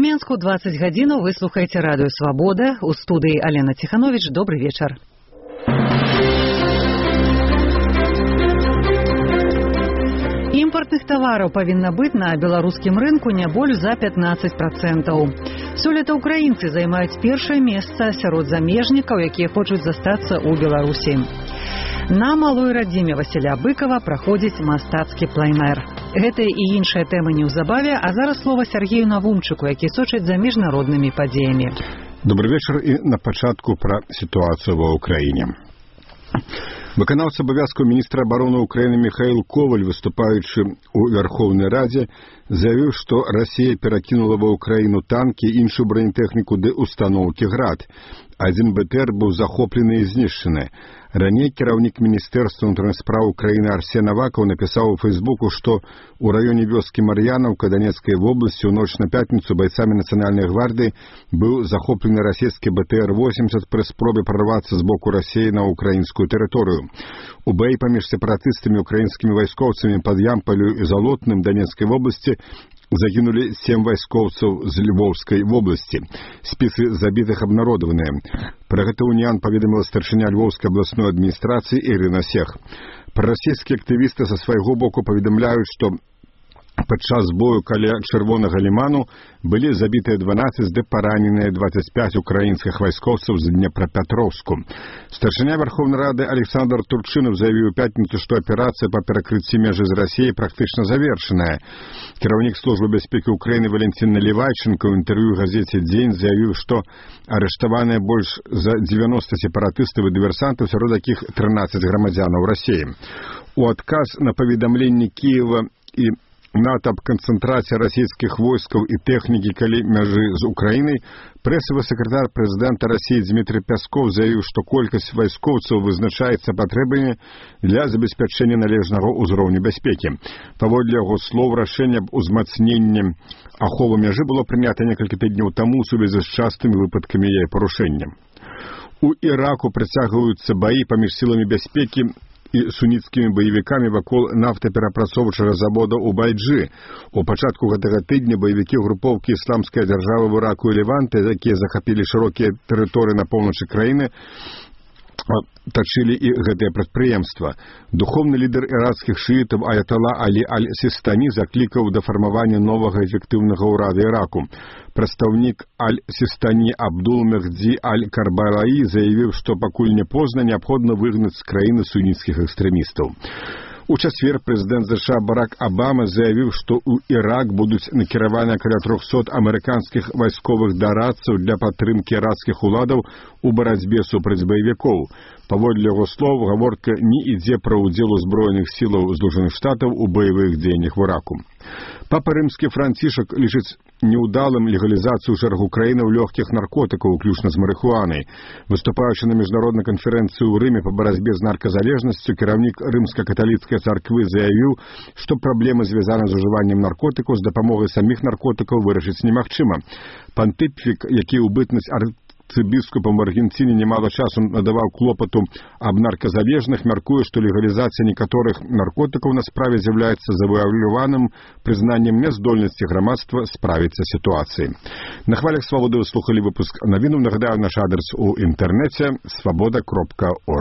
Менску 20 гадзінаў вы слухаеце радыё «Свабода». У студыі Алена Ціхановіч. Добры вечар. Імпартных тавараў павінна быць на беларускім рынку не больш за 15%. Сёлета украінцы займаюць першае месца сярод замежнікаў, якія хочуць застацца ў Беларусі. На малой радзіме Васіля Быкова праходзіць мастацкі плайнер. Гэтыя і іншыя тэмы неўзабаве, а зараз слова Сергею Навумчыку, які сочыць за міжнароднымі падзеямі. Добрый вечар і на пачатку пра сітуацыю ва ўкраіне. Выканаўца абавязкаў міністра абароны ўкраіны Михаил Коваль, выступаючы ў Верховнай Радзе, заявіў, што Расія перакінула ва ўкраіну танкі і іншую бронетэхніку ды устаноўкі «Град». Адзін БТР быў захоплены і знішчаны. Раней кіраўнік Міністэрства ўнутраных спраў Украіны Арсен Авакаў напісаў у Фейсбуку, што ў раёне вёскі Мар'янаўка Донецкай вобласці ў ноч на пятніцу байцамі Нацыянальнай гвардыі быў захоплены расійскі БТР-80 пры спробе прарвацца з боку Расіі на ўкраінскую тэрыторыю. У баі паміж сепаратыстамі і украінскімі вайскоўцамі пад Ямпалю і Залотным Донецкай вобласці загінулі 7 вайскоўцаў з Львовскай вобласці. Спісы забітых абнародаваныя. Пра гэта «Уніан» паведаміла старшыня Львовскай абласной адміністрацыі Ірына Сех. Прарасійскія актывісты са свайго боку паведамляюць, што падчас бою каля Чырвонага ліману былі забітыя 12 ды параненыя 25 украінскіх вайскоўцаў з Днепрапятроўску. Старшыня Верховнай Рады Александр Турчынов заявіў у пятніцу, што аперацыя па перакрыцці межы з Расіяй практычна завершаная. Кіраўнік службы бяспекі Украіны Валентин Наливайченко ў інтэрв'ю газеце «Дзень» заявіў, што арыштаваныя больш за 90 сепаратыстаў і дыверсантаў, сярод якіх 13 грамадзянаў Расіі. У адказ на паведамленні Кіева і НАТО аб канцэнтрацыі расійскіх войскаў і тэхнікі каля мяжы з Украінай, прэсавы сакратар прэзідэнта Расіі Дмітрий Пясков заявіў, што колькасць вайскоўцаў вызначаецца патрэбамі для забеспячэння належнага ўзроўню бяспекі. Паводле яго слоў, рашэнне аб узмацненні аховы мяжы было прынята некалькі тыдняў таму ў сувязі з частымі выпадкамі яе парушэння. У Іраку працягваюцца баі паміж сіламі бяспекі і суніцкімі баевікамі вакол нафтаперапрацоўчага завода ў Байджы. У пачатку гэтага тыдня баевікі групоўкі ісламская дзяржава в Іраку і Леванте, якія захапілі шырокія тэрыторыі на поўначы краіны, тачылі і гэтае прадпрыемства. Духоўны лідар іракскіх шыітаў Аятала Алі Аль-Сістані заклікаў да фармавання новага эфектыўнага ўрада Іраку. Прадстаўнік Аль-Сістані Абдул Мехді Аль-Карбалаі заявіў, што пакуль не позна, неабходна выгнаць з краіны суніцкіх экстрэмістаў. У чацвер прэзідэнт США Барак Абама заявіў, што ў Ірак будуць накіраваны каля 300 амерыканскіх вайсковых дарадцаў для падтрымкі іракскіх уладаў у барацьбе супраць баевікоў. Паводле яго слоў, гаворка не ідзе пра ўдзел узброеных сілаў Злучаных Штатаў у баявых дзеяннях в Іраку. Папа Рымскі Францішак лічыць неўдалым легалізацыю шэрагу краінаў лёгкіх наркотыкаў, уключна з марыхуанай. Выступаючы на міжнароднай канферэнцыі ў Рыме па барацьбе з нарказалежнасцю, кіраўнік рымска-каталіцкай царквы заявіў, што праблемы, звязаныя з ужываннем наркотыкаў, з дапамогай саміх наркотыкаў вырашыць немагчыма. Пантыфік, які ў бытнасць арцыбіскупам в Аргенціне немало часу надаваў клопату аб нарказалежных, мяркуе, што легалізацыя некаторых наркотыкаў на справе з'яўляецца завуаляваным прызнаннем няздольнасці грамадства справіцца сітуацыяй. На хвалях свабоды вы слухалі выпуск навінаў. Нагадаю, наш адрес у інтэрнэце свабода.орг.